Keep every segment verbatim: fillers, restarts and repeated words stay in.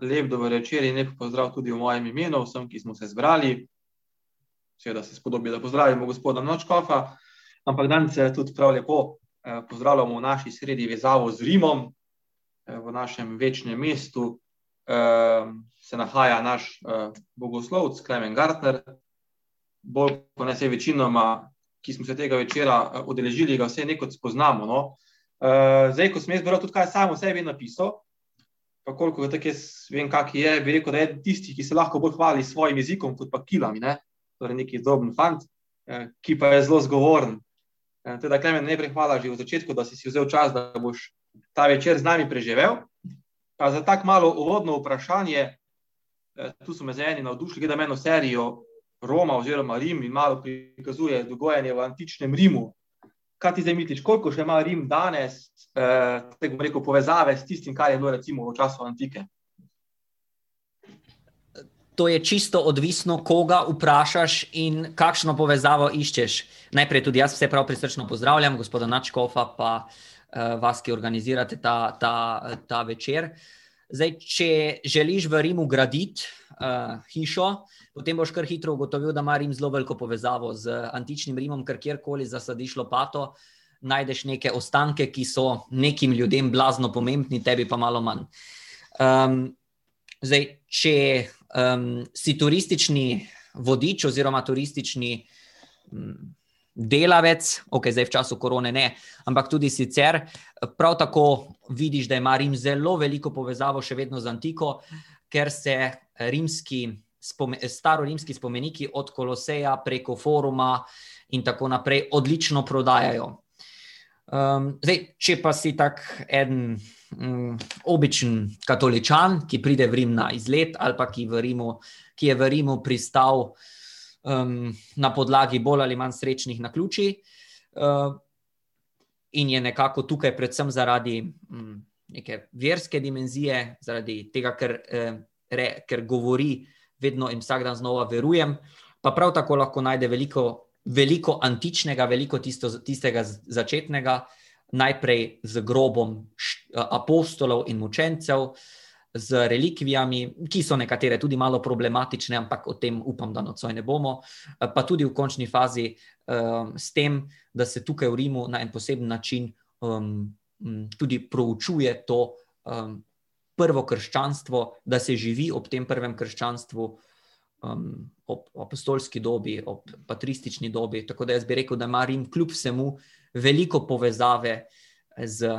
lep dober večer in lep pozdrav tudi v mojem imenu, vsem, ki smo se zbrali. Seveda se spodobi, da pozdravimo gospoda Nočkofa, ampak danes se tudi prav lepo pozdravljamo v naši sredi vezavo z Rimom. V našem večnem mestu se nahaja naš bogoslovec Klemen Gartner, bolj ko ne se večinoma, ki smo se tega večera udeležili, ga vse nekaj spoznamo. No? Zdaj, ko sem jaz bral tudi, kaj sam v sebi napisal, pa koliko tako jaz vem, kak je, bi rekel, da je tisti, ki se lahko bolj hvali s svojim jezikom, kot pa kilami, ne? Torej neki droben fant, ki pa je zelo zgovoren. Teda, Klemen, najprej hvala že v začetku, da si si vzel čas, da boš ta večer z nami preživel. Pa za tak malo uvodno vprašanje, tu so me za eni navdušili, gledam eno serijo Roma oziroma Rim in malo prikazuje dogajanje v antičnem Rimu. Kaj ti zdaj misliš, koliko še ima Rim danes, eh, tako bom rekel, povezave s tistim, kar je bilo recimo v času antike? To je čisto odvisno, koga vprašaš in kakšno povezavo iščeš. Najprej tudi jaz vse prav prisrčno pozdravljam, gospoda Nočkofa, pa uh, vas, ki organizirate ta, ta, ta večer. Zdaj, če želiš v Rimu graditi uh, hišo, potem boš kar hitro ugotovil, da ima Rim zelo veliko povezavo z antičnim Rimom, ker kjerkoli zasadiš lopato, najdeš neke ostanke, ki so nekim ljudem blazno pomembni, tebi pa malo manj. Um, zdaj, če um, si turistični vodič oziroma turistični um, delavec, ok, zdaj v času korone ne, ampak tudi sicer, prav tako vidiš, da ima Rim zelo veliko povezavo še vedno z antiko, ker se rimski, spome, starorimski spomeniki od Koloseja preko Foruma in tako naprej odlično prodajajo. Um, zdaj, če pa si tak en um, običen katoličan, ki pride v Rim na izlet ali pa ki, v Rimu, ki je v Rimu pristal um, na podlagi bolj ali manj srečnih naključij uh, in je nekako tukaj predvsem zaradi um, neke verske dimenzije, zaradi tega, ker, eh, re, ker govori vedno in vsak dan znova verujem, pa prav tako lahko najde veliko veliko antičnega, veliko tisto, tistega začetnega, najprej z grobom apostolov in mučencev, z relikvijami, ki so nekatere tudi malo problematične, ampak o tem upam, da nocoj ne bomo, pa tudi v končni fazi um, s tem, da se tukaj v Rimu na en poseben način um, tudi proučuje to um, prvo krščanstvo, da se živi ob tem prvem krščanstvu, Um, ob apostolski dobi, ob patristični dobi, tako da jaz bi rekel, da ima Rim kljub vsemu veliko povezave z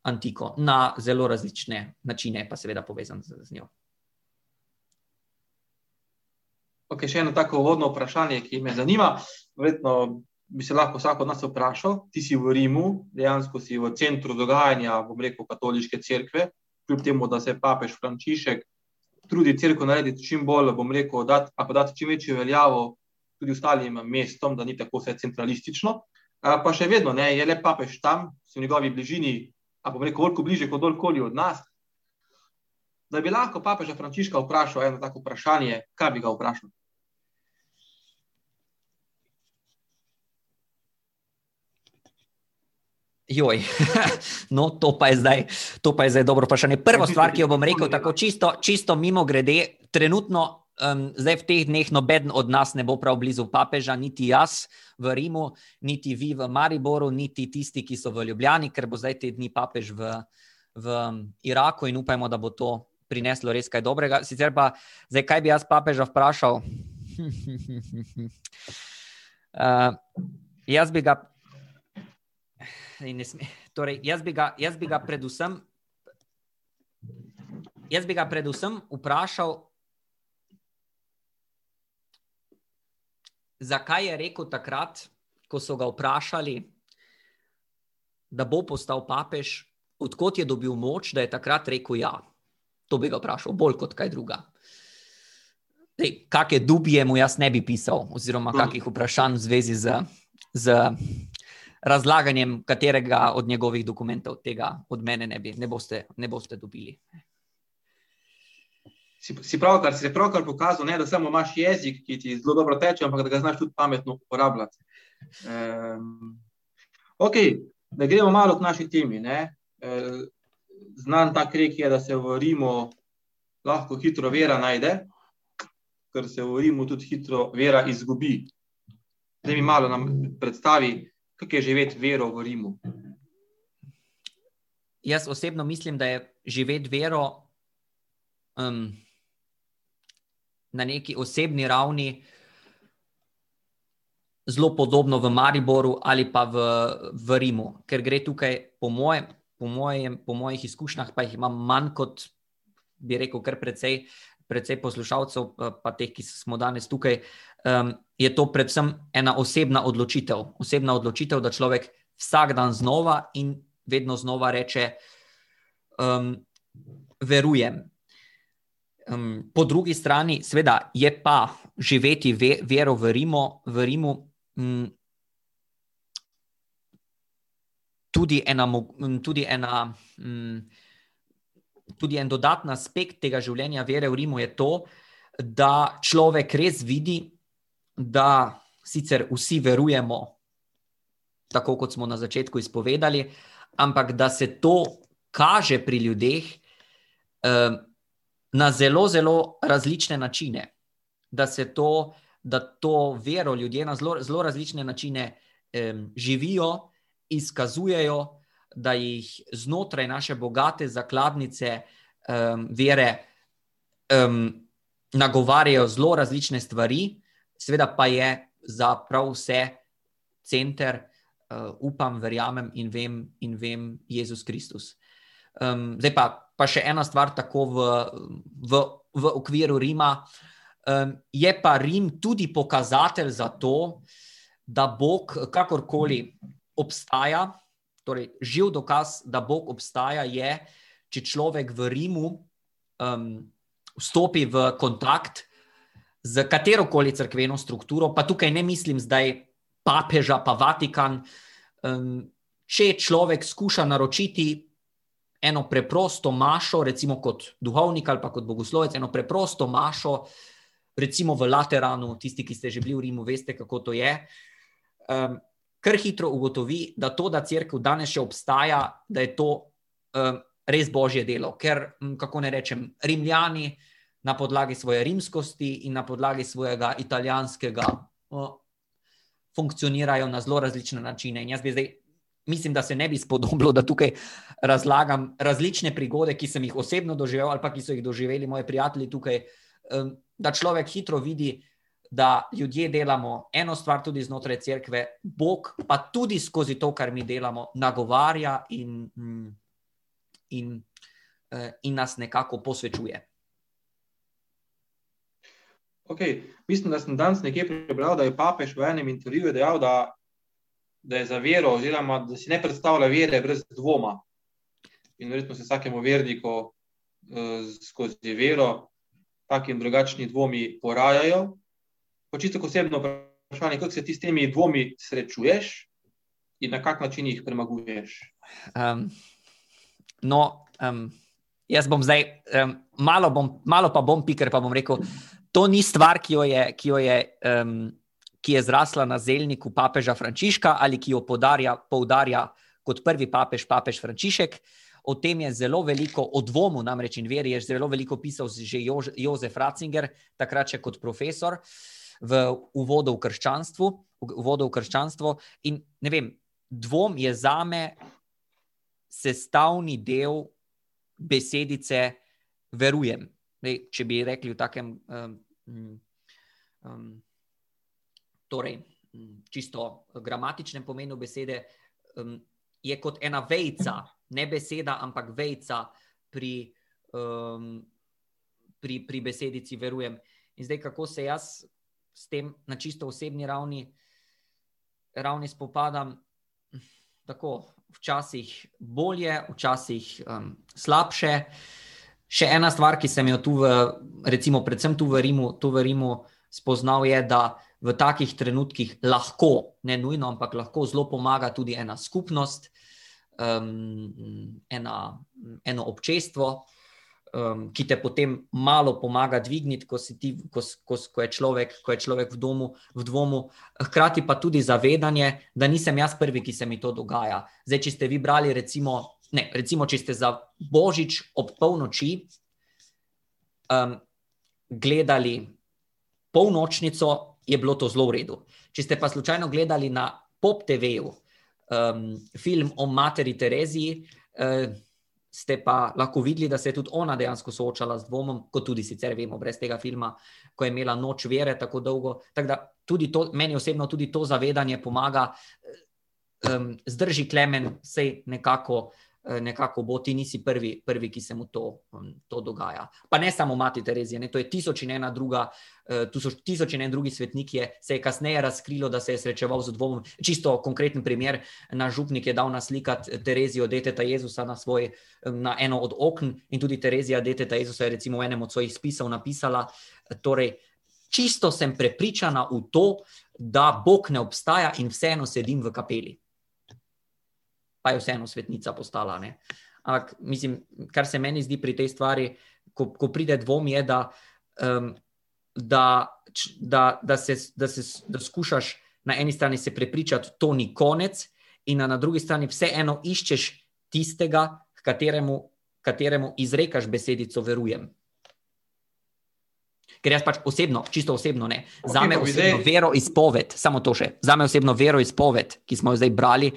antiko, na zelo različne načine, pa seveda povezan z, z njo. Ok, še eno tako uvodno vprašanje, ki me zanima, verjetno bi se lahko vsak od nas vprašal, ti si v Rimu, dejansko si v centru dogajanja, bom rekel, katoliške cerkve, kljub temu, da se papež Frančišek trudi cerkev narediti čim bolj, bom rekel, dati, pa dati čim večjo veljavo tudi ostalim mestom, da ni tako vse centralistično. Pa še vedno, ne, je le papež tam, so v njegovi bližini, a bom rekel, veliko bliže kot kdorkoli od nas, da bi lahko papeža Frančiška vprašal eno tako vprašanje, kaj bi ga vprašal? Joj, no to pa je zdaj, to pa je zdaj dobro vprašanje. Prva stvar, ki jo bom rekel tako čisto, čisto mimo grede, trenutno um, zdaj v teh dneh nobeden od nas ne bo prav blizu papeža, niti jaz v Rimu, niti vi v Mariboru, niti tisti, ki so v Ljubljani, ker bo zdaj te dni papež v, v Iraku in upajmo, da bo to prineslo res kaj dobrega. Sicer pa, zdaj kaj bi jaz papeža vprašal? uh, jaz bi ga Torej, jaz bi ga, jaz bi ga predvsem jaz bi ga predvsem vprašal, zakaj je rekel takrat, ko so ga vprašali, da bo postal papež, od kod je dobil moč, da je takrat rekel ja. To bi ga vprašal, bolj kot kaj druga. Zdaj, kake dubije mu jaz ne bi pisal, oziroma kakih vprašanj v zvezi z, z razlaganjem katerega od njegovih dokumentov, tega od mene ne bi, ne boste, ne boste dobili. Si, si pravkar, si pravkar pokazal, ne, da samo imaš jezik, ki ti zelo dobro teče, ampak da ga znaš tudi pametno uporabljati. Um, ok, da gremo malo k naši temi, ne. Znan tak rek je, da se v Rimu lahko hitro vera najde, ker se v Rimu tudi hitro vera izgubi. Zdaj mi malo nam predstavi, kako je živeti vero v Rimu. Jaz osebno mislim, da je živeti vero um, na neki osebni ravni zelo podobno v Mariboru ali pa v, v Rimu, ker gre tukaj po, moje, po, mojem, po mojih izkušnjah, pa jih imam manj kot, bi rekel, kar precej, precej poslušalcev, pa teh, ki smo danes tukaj, um, je to predvsem ena osebna odločitev. Osebna odločitev, da človek vsak dan znova in vedno znova reče, um, verujem. Um, po drugi strani, seveda, je pa živeti ve, vero v Rimu, v Rimu um, tudi ena, tudi ena um, tudi en dodatni aspekt tega življenja vere v Rimu je to, da človek res vidi, da sicer vsi verujemo, tako kot smo na začetku izpovedali, ampak da se to kaže pri ljudeh um, na zelo, zelo različne načine. Da se to, da to vero ljudje na zelo, zelo različne načine um, živijo, izkazujejo, da jih znotraj naše bogate zakladnice um, vere um, nagovarjajo zelo različne stvari, seveda pa je za prav vse center, uh, upam, verjamem in vem, in vem Jezus Kristus. Um, zdaj pa, pa še ena stvar tako v, v, v okviru Rima. Um, je pa Rim tudi pokazatelj za to, da Bog kakorkoli obstaja, torej živ dokaz, da Bog obstaja je, če človek v Rimu um, vstopi v kontakt z katerokoli cerkveno strukturo, pa tukaj ne mislim zdaj papeža pa Vatikan, um, če človek skuša naročiti eno preprosto mašo, recimo kot duhovnik ali pa kot bogoslovec, eno preprosto mašo, recimo v Lateranu, tisti, ki ste že bili v Rimu, veste, kako to je, um, kar hitro ugotovi, da to, da cerkev danes še obstaja, da je to um, res božje delo. Ker, kako ne rečem, Rimljani na podlagi svoje rimskosti in na podlagi svojega italijanskega uh, funkcionirajo na zelo različne načine. In jaz bi zdaj, mislim, da se ne bi spodobilo, da tukaj razlagam različne prigode, ki sem jih osebno doživel ali pa ki so jih doživeli moji prijatelji tukaj, um, da človek hitro vidi, da ljudje delamo eno stvar tudi znotraj cerkve, Bog pa tudi skozi to, kar mi delamo, nagovarja in, in, in nas nekako posvečuje. Ok, mislim, da sem danes nekje prebral, da je papež v enem intervjuju dejal, da, da je za vero, oziroma da si ne predstavlja vere brez dvoma. In verjetno se vsakemu verniku uh, skozi vero taki in drugačni dvomi porajajo. Pa čisto osebno vprašanje, kako se ti s temi dvomi srečuješ in na kak način jih premaguješ? Um, no, um, jaz bom zdaj, um, malo, bom, malo pa bom piker, pa bom rekel, to ni stvar, ki jo je, ki jo je, um, ki je zrasla na zelniku papeža Frančiška ali ki jo podarja, poudarja kot prvi papež, papež Frančišek. O tem je zelo veliko, o dvomu namreč in veri je zelo veliko pisal že Jož, Jozef Ratzinger, takrat še kot profesor v uvodu v krščanstvu, uvodu v krščanstvo. In ne vem, dvom je zame sestavni del besedice verujem. Dej, če bi rekli v takem um, um, torej čisto gramatičnem pomenu besede, um, je kot ena vejca, ne beseda, ampak vejca pri, um, pri, pri besedici verujem. In zdaj, kako se jaz s tem na čisto osebni ravni, ravni spopadam, tako včasih bolje, včasih um, slabše. Še ena stvar, ki sem jo tu v, recimo predvsem tu v Rimu, tu v Rimu spoznal je, da v takih trenutkih lahko, ne nujno, ampak lahko zelo pomaga tudi ena skupnost, um, ena, eno občestvo, um, ki te potem malo pomaga dvigniti, ko, si ti, ko, ko, ko, je človek, ko je človek v domu, v dvomu. Hkrati pa tudi zavedanje, da nisem jaz prvi, ki se mi to dogaja. Zdaj, če ste vi brali recimo, ne, recimo, če ste za Božič ob polnoči um, gledali polnočnico, je bilo to zelo v redu. Če ste pa slučajno gledali na Pop te veju um, film o materi Tereziji, uh, ste pa lahko videli, da se je tudi ona dejansko soočala z dvomom, kot tudi sicer vemo brez tega filma, ko je imela noč vere tako dolgo. Tako da tudi to, meni osebno tudi to zavedanje pomaga, um, zdrži Klemen, sej nekako, nekako bo, ti nisi prvi, prvi ki se mu to, um, to dogaja. Pa ne samo mati Terezija, ne, to je tisoč in ena druga, uh, tu so tisoč in en drugi svetnik je, se je kasneje razkrilo, da se je srečeval z dvomom. Čisto konkreten primer, naš župnik je dal naslikati Terezijo, deteta Jezusa na svoj, na eno od okn in tudi Terezija, deteta Jezusa, je recimo v enem od svojih spisov napisala, torej, čisto sem prepričana v to, da Bog ne obstaja in vseeno sedim v kapeli. Pa je vseeno svetnica postala. Ne? Ampak, mislim, kar se meni zdi pri tej stvari, ko, ko pride dvom, je, da, um, da, da, da, se, da, se, da skušaš na eni strani se prepričati, to ni konec, in na, na drugi strani vseeno iščeš tistega, kateremu, kateremu izrekaš besedico verujem. Ker jaz pač osebno, čisto osebno ne, okay, zame osebno zdaj... veroizpoved, samo to še, zame osebno veroizpoved, ki smo jo zdaj brali,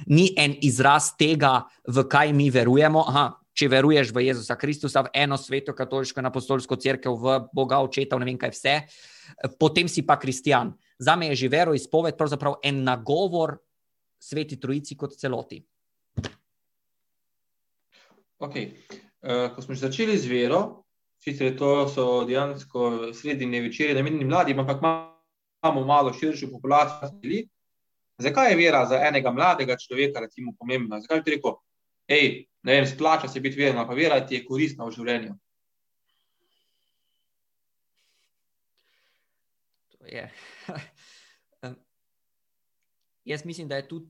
ni en izraz tega, v kaj mi verujemo. Aha, če veruješ v Jezusa Kristusa, v eno sveto katoliško in apostolsko cerkev, v Boga očeta, ne vem kaj vse, potem si pa kristjan. Zame je že veroizpoved pravzaprav en nagovor Sveti Trojici kot celoti. Ok, uh, ko smo že začeli z vero, sicer to so dejansko sredine večeri namenjeni mladim, ampak imamo malo širšo populacijo. Zakaj je vera za enega mladega človeka recimo pomembna? Zakaj bi ti rekel, ej, ne vem, splača se biti verna, pa vera ti je koristna v življenju? To je. Jaz mislim, da je tudi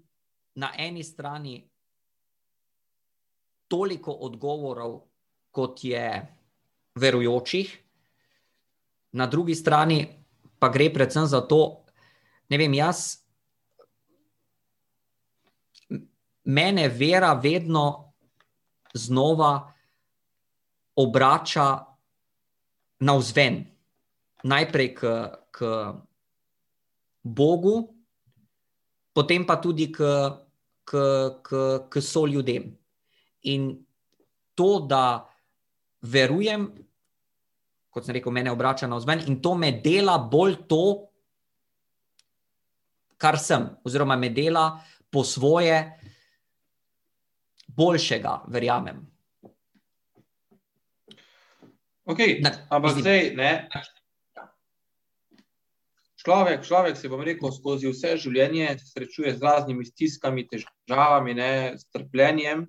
na eni strani toliko odgovorov, kot je verujočih, na drugi strani pa gre predvsem za to, ne vem, jaz, mene vera vedno znova obrača navzven, najprej k, k Bogu, potem pa tudi k, k, k, k soljudem. In to, da verujem, kot sem rekel, mene obrača navzven in to me dela bolj to, kar sem, oziroma me dela po svoje boljšega, verjamem. Ok, ampak zdaj, ne, človek, človek se, bom rekel, skozi vse življenje se srečuje z raznimi stiskami, težavami, ne, s trpljenjem.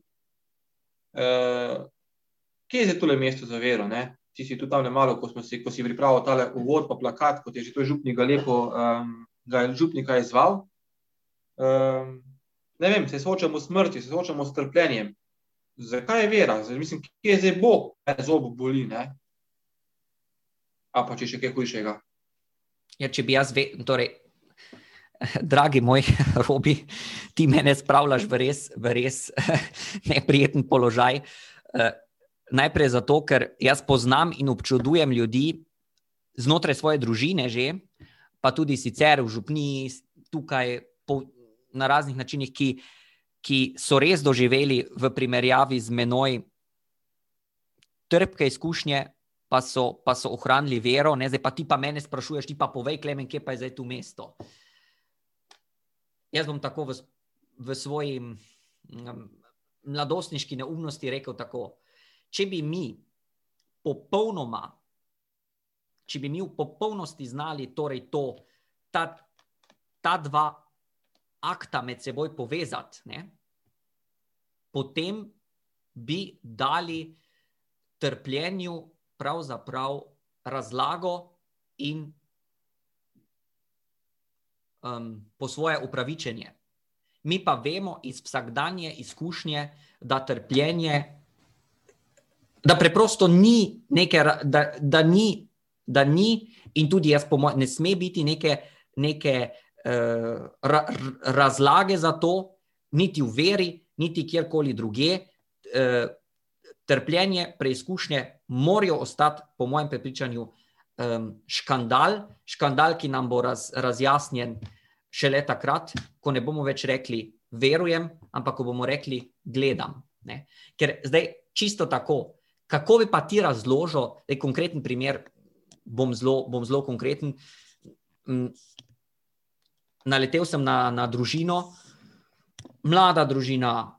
Uh, Kje je tole mesto za vero? Ne? Ti si tu tam malo, ko, smo si, ko si pripravil tale uvod pa plakat, kot je že to župnik ga lepo, um, ga je župnika izval. Um, ne vem, se soočamo s smrti, se soočamo s trpljenjem. Zakaj je vera? Zdaj, mislim, kje je zdaj Bog? Zob boli, ne? A pa če še kaj hujšega? Ja, če bi jaz ve, torej, dragi moj Robi, ti mene spravljaš v res, v res neprijeten položaj. Uh, Najprej zato, ker jaz poznam in občudujem ljudi znotraj svoje družine že, pa tudi sicer v župniji, tukaj po, na raznih načinih, ki, ki so res doživeli v primerjavi z menoj trpke izkušnje, pa so, pa so ohranili vero, ne, zdaj pa ti pa mene sprašuješ, ti pa povej, Klemen, kje pa je zdaj tu mesto. Jaz bom tako v, v svoji um, mladostniški neumnosti rekel tako, če bi mi popolnoma, če bi mi v popolnosti znali torej to, ta, ta dva akta med seboj povezati, ne, potem bi dali trpljenju pravzaprav razlago in um, po svoje upravičenje. Mi pa vemo iz vsakdanje izkušnje, da trpljenje da preprosto ni neke, da, da, ni, da ni in tudi jaz po mojem, ne sme biti neke, neke uh, ra, razlage za to, niti v veri, niti kjerkoli druge. Uh, trpljenje, preizkušnje morajo ostati, po mojem prepričanju, um, škandal, škandal, ki nam bo raz, razjasnjen šele takrat, ko ne bomo več rekli verujem, ampak ko bomo rekli gledam. Ne? Ker zdaj čisto tako, kako bi pa ti razložil, da je konkreten primer, bom zelo, bom zelo konkreten, naletel sem na, na družino, mlada družina,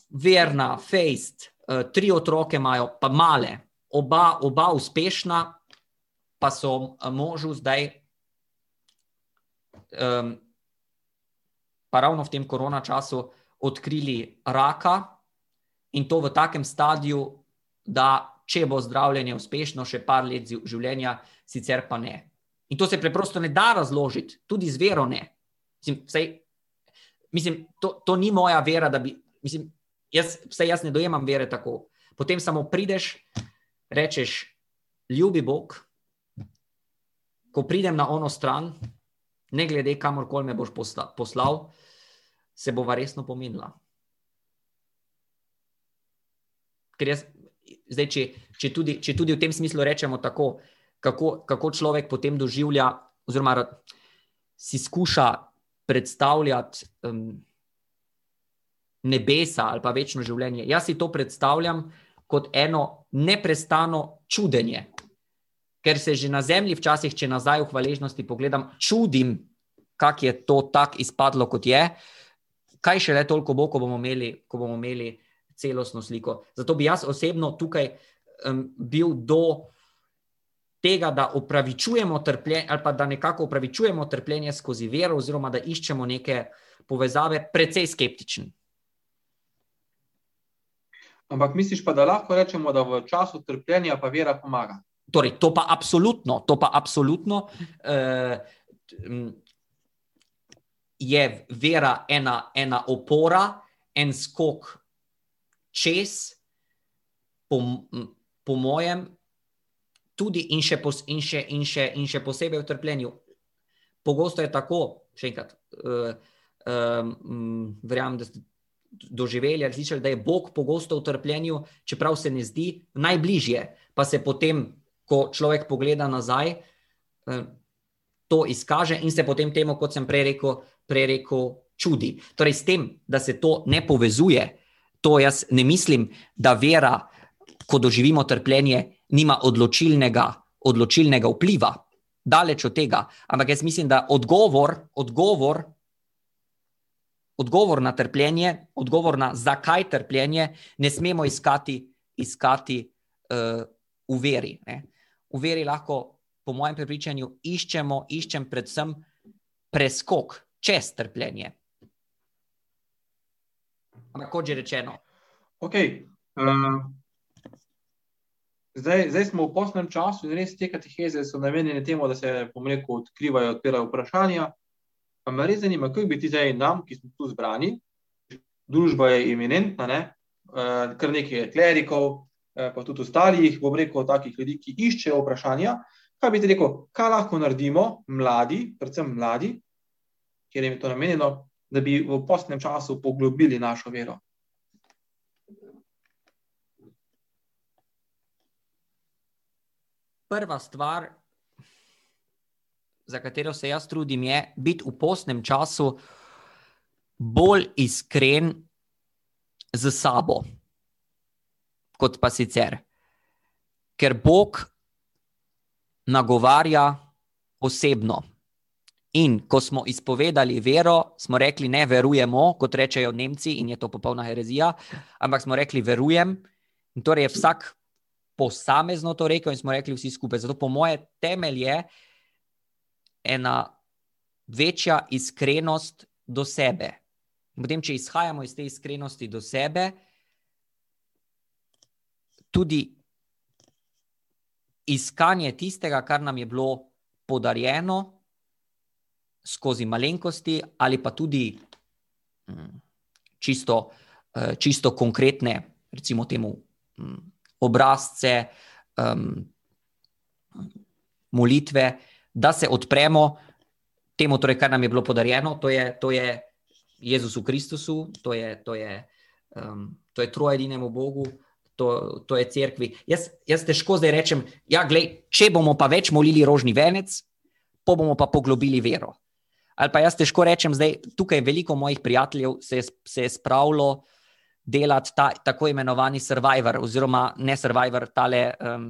verna, fejst, tri otroke imajo, pa male, oba, oba uspešna, pa so možu zdaj um, pa ravno v tem korona času odkrili raka in to v takem stadiju, da če bo zdravljenje uspešno, še par let življenja, sicer pa ne. In to se preprosto ne da razložiti, tudi z vero ne. Mislim, vsej, mislim to, to ni moja vera, da bi, mislim, jaz, vsej jaz ne dojemam vere tako. Potem samo prideš, rečeš, ljubi Bog, ko pridem na ono stran, ne glede kamorkoli me boš poslal, se bova resno pomenila. Ker jaz, zdaj, če, če, tudi, če tudi v tem smislu rečemo tako, kako, kako človek potem doživlja, oziroma si skuša predstavljati um, nebesa ali pa večno življenje. Jaz si to predstavljam kot eno neprestano čudenje. Ker se že na zemlji včasih, če nazaj v hvaležnosti pogledam, čudim, kak je to tak izpadlo, kot je, kaj šele toliko bo, ko bomo imeli, ko bomo imeli celostno sliko. Zato bi jaz osebno tukaj um, bil do tega, da opravičujemo trpljenje, ali pa da nekako opravičujemo trpljenje skozi vero, oziroma da iščemo neke povezave, precej skeptičen. Ampak misliš pa, da lahko rečemo, da v času trpljenja pa vera pomaga? Torej, to pa absolutno, to pa absolutno uh, je vera ena, ena opora, en skok čez, po, po mojem, tudi in še, pos, in, še, in, še, in še posebej v trpljenju. Pogosto je tako, še enkrat, uh, um, verjamem, da ste doživeli ali slišali, da je Bog pogosto v trpljenju, čeprav se ne zdi najbližje, pa se potem, ko človek pogleda nazaj, to izkaže in se potem temu, kot sem prej rekel, prej rekel čudi. Torej s tem, da se to ne povezuje, to jaz ne mislim, da vera, ko doživimo trpljenje, nima odločilnega, odločilnega vpliva. Daleč od tega. Ampak jaz mislim, da odgovor, odgovor, odgovor na trpljenje, odgovor na zakaj trpljenje, ne smemo iskati, iskati uh, v veri. Ne? V veri lahko, po mojem prepričanju, iščemo, iščem predvsem preskok čez trpljenje. Ampak kot že rečeno. Ok. Uh, zdaj, zdaj smo v postnem času in res te kateheze so namenjene temu, da se, bom rekel, odkrivajo, odpirajo vprašanja. Pa me res zanima, kaj bi ti zdaj nam, ki smo tu zbrani, družba je eminentna, ne? Uh, kar nekaj je klerikov, pa tudi ostalih, bom rekel, takih ljudi, ki iščejo vprašanja, kaj bi ti rekel, kaj lahko naredimo, mladi, predvsem mladi, kjer je to namenjeno, da bi v postnem času poglobili našo vero? Prva stvar, za katero se jaz trudim, je biti v postnem času bolj iskren z sabo, kot pa sicer. Ker Bog nagovarja osebno. In ko smo izpovedali vero, smo rekli ne verujemo, kot rečejo Nemci, in je to popolna herezija, ampak smo rekli verujem, in torej je vsak posamezno to rekel in smo rekli vsi skupaj. Zato po moje temelj je ena večja iskrenost do sebe. In potem, če izhajamo iz te iskrenosti do sebe, tudi iskanje tistega, kar nam je bilo podarjeno skozi malenkosti ali pa tudi čisto, čisto konkretne, recimo temu, obrazce, molitve, da se odpremo temu, torej, kar nam je bilo podarjeno, to je, to je Jezusu Kristusu, to je, to je, um, to je trojedinemu Bogu, to, to je cerkvi. Jaz, jaz težko zdaj rečem, ja, glej, če bomo pa več molili rožni venec, pa bomo pa poglobili vero. Ali pa jaz težko rečem, zdaj tukaj veliko mojih prijateljev se je, se je spravilo delati ta tako imenovani survivor, oziroma ne survivor, tale um,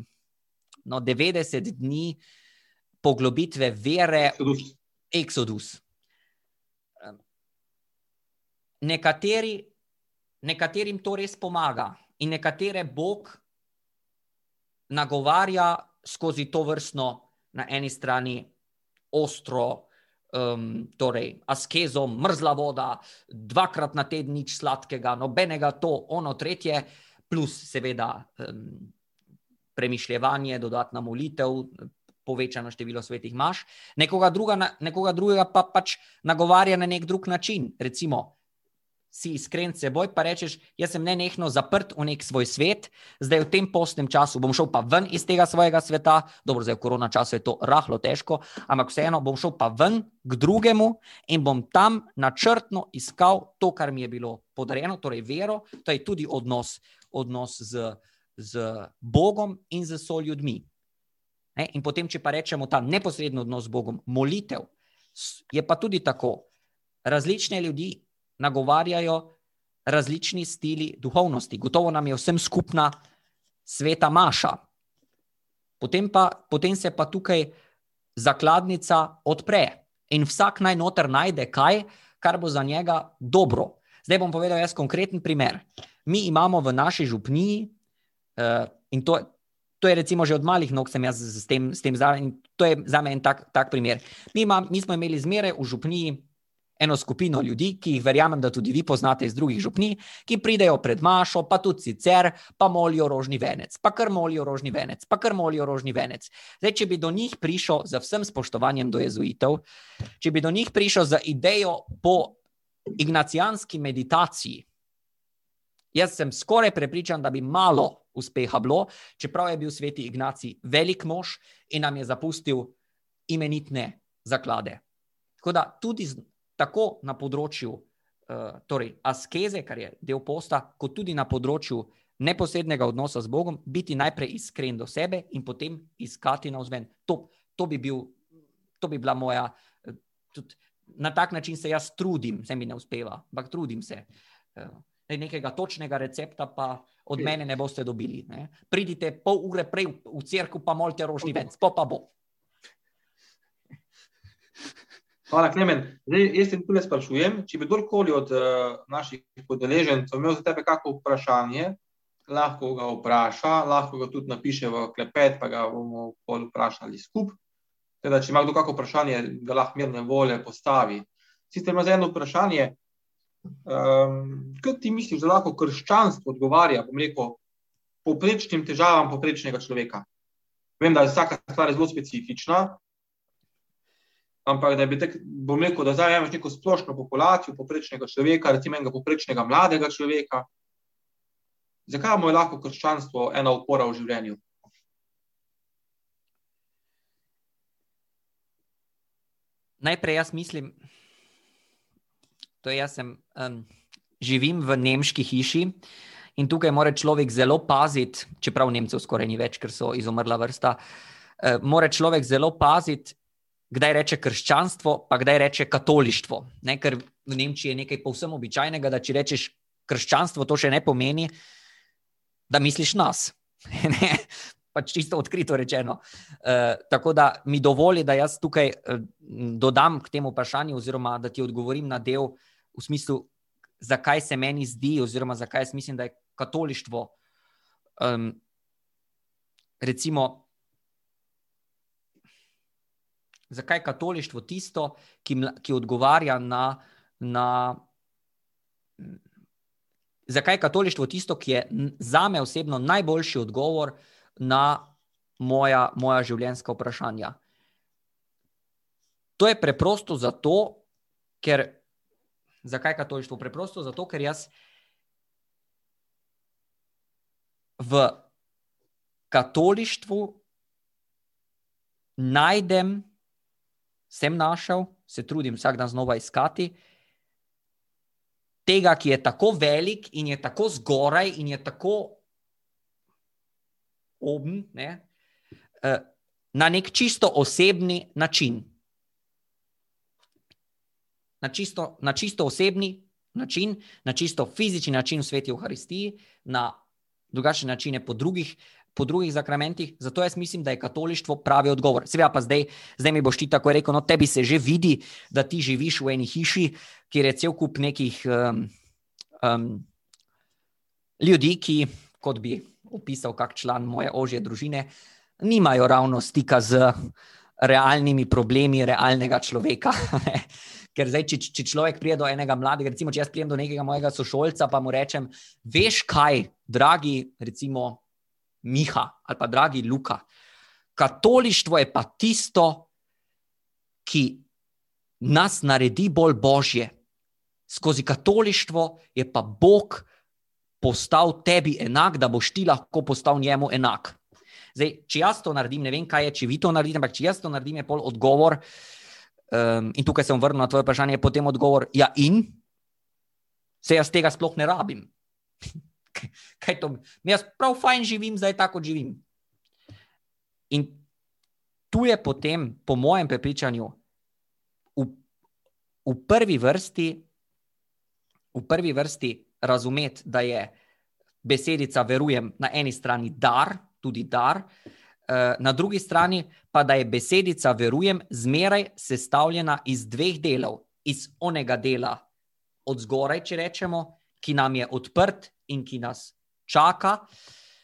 no, devetdeset dni poglobitve vere, Exodus. Exodus. Nekateri, nekaterim to res pomaga in nekatere Bog nagovarja skozi to vrstno na eni strani ostro, um, torej askezo, mrzla voda, dvakrat na teden nič sladkega, nobenega to, ono tretje, plus seveda um, premišljevanje, dodatna molitev, povečano število svetih maš. Nekoga, druga, nekoga drugega pa pač nagovarja na nek drug način. Recimo, si iskren s seboj, pa rečeš, jaz sem nenehno zaprt v nek svoj svet, zdaj v tem postnem času bom šel pa ven iz tega svojega sveta, dobro, zdaj v korona času je to rahlo težko, ampak vseeno bom šel pa ven k drugemu in bom tam načrtno iskal to, kar mi je bilo podarjeno, torej vero, to je tudi odnos, odnos z, z Bogom in z soljudmi. Ne? In potem, če pa rečemo ta neposredni odnos z Bogom, molitev, je pa tudi tako, različne ljudi nagovarjajo različni stili duhovnosti. Gotovo nam je vsem skupna sveta maša. Potem, pa, potem se pa tukaj zakladnica odpre in vsak naj noter najde kaj, kar bo za njega dobro. Zdaj bom povedal jaz konkreten primer. Mi imamo v naši župniji uh, in to, to je recimo že od malih nog sem jaz s tem, s tem zraven, to je za me en tak, tak primer. Mi, ima, mi smo imeli zmeraj v župniji eno skupino ljudi, ki jih verjamem, da tudi vi poznate iz drugih župnij, ki pridejo pred mašo, pa tudi sicer, pa molijo rožni venec, pa kar molijo rožni venec, pa kar molijo rožni venec. Zdaj, če bi do njih prišel za vsem spoštovanjem do jezuitov, če bi do njih prišel za idejo po ignacijanski meditaciji, jaz sem skoraj prepričan, da bi malo uspeha bilo, čeprav je bil sveti Ignacij velik mož in nam je zapustil imenitne zaklade. Tako da tudi tako na področju uh, torej askeze, kar je del posta, kot tudi na področju neposrednega odnosa z Bogom, biti najprej iskren do sebe in potem iskati navzven. To, to, bi bil, to bi bila moja, uh, tudi, na tak način se jaz trudim, se mi ne uspeva, ampak trudim se. Uh, nekega točnega recepta pa od mene ne boste dobili. Ne? Pridite pol ure prej v, v cerkev, pa molite rožni venec, pa pa bo. Hvala, Klemen. Zdaj, jaz se tukaj sprašujem, če bi kdorkoli od uh, naših podeležencev imel za tebe kako vprašanje, lahko ga vpraša, lahko ga tudi napiše v klepet, pa ga bomo pol vprašali skup. Teda, če ima kdo kako vprašanje, ga lahko mirne volje postavi. Sicer ima za eno vprašanje, um, kaj ti misliš, da lahko krščanstvo odgovarja, bom rekel, povprečnim težavam povprečnega človeka? Vem, da je vsaka stvar zelo specifična, ampak da bi tak, bom rekel, da zdaj imaš neko splošno populacijo povprečnega človeka, recimo enega povprečnega mladega človeka. Zakaj mu je lahko krščanstvo ena opora v življenju? Najprej jaz mislim, to je jaz sem, um, živim v nemški hiši in tukaj mora človek zelo paziti, čeprav Nemcev skoraj ni več, ker so izumrla vrsta, uh, mora človek zelo paziti, kdaj reče krščanstvo, pa kdaj reče katolištvo. Ne, ker v Nemčiji je nekaj povsem običajnega, da če rečeš krščanstvo, to še ne pomeni, da misliš nas. Ne, pač čisto odkrito rečeno. Uh, tako da mi dovoli, da jaz tukaj uh, dodam k temu vprašanju, oziroma da ti odgovorim na del v smislu, zakaj se meni zdi, oziroma zakaj jaz mislim, da je katolištvo um, recimo zakaj je katolištvo tisto, ki, ki odgovarja na, na zakaj je katolištvo tisto, ki je zame osebno najboljši odgovor na moja, moja življenjska vprašanja. To je preprosto zato, ker zakaj katolištvo? Preprosto zato, ker jaz v katolištvu najdem sem našel, se trudim vsak dan znova iskati, tega, ki je tako velik in je tako zgoraj in je tako oben, ne, na nek čisto osebni način. Na čisto, na čisto osebni način, na čisto fizični način v sveti Euharistiji, na drugačne načine po drugih, po drugih zakramentih. Zato jaz mislim, da je katolištvo pravi odgovor. Seveda pa zdaj, zdaj mi boš ti tako rekel, no tebi se že vidi, da ti živiš v eni hiši, kjer je cel kup nekih um, um, ljudi, ki, kot bi opisal kak član moje ožje družine, nimajo ravno stika z realnimi problemi realnega človeka. Ker zdaj, če, če človek prije do enega mladega, recimo, če jaz prijem do nekega mojega sošolca, pa mu rečem, veš kaj, dragi, recimo, Miha, ali pa dragi Luka, katolištvo je pa tisto, ki nas naredi bolj božje. Skozi katolištvo je pa Bog postal tebi enak, da boš ti lahko postal njemu enak. Zdaj, če jaz to naredim, ne vem, kaj je, če vi to naredite, ampak če jaz to naredim, je pol odgovor, um, in tukaj se bom vrnil na tvoje vprašanje, je potem odgovor, ja in? Se jaz tega sploh ne rabim. Kaj to? Jaz prav fajn živim, zdaj tako živim. In tu je potem, po mojem prepričanju, v, v prvi vrsti, v prvi vrsti razumeti, da je besedica verujem na eni strani dar, tudi dar, na drugi strani pa, da je besedica verujem zmeraj sestavljena iz dveh delov. Iz onega dela od zgoraj, če rečemo, ki nam je odprt in ki nas čaka,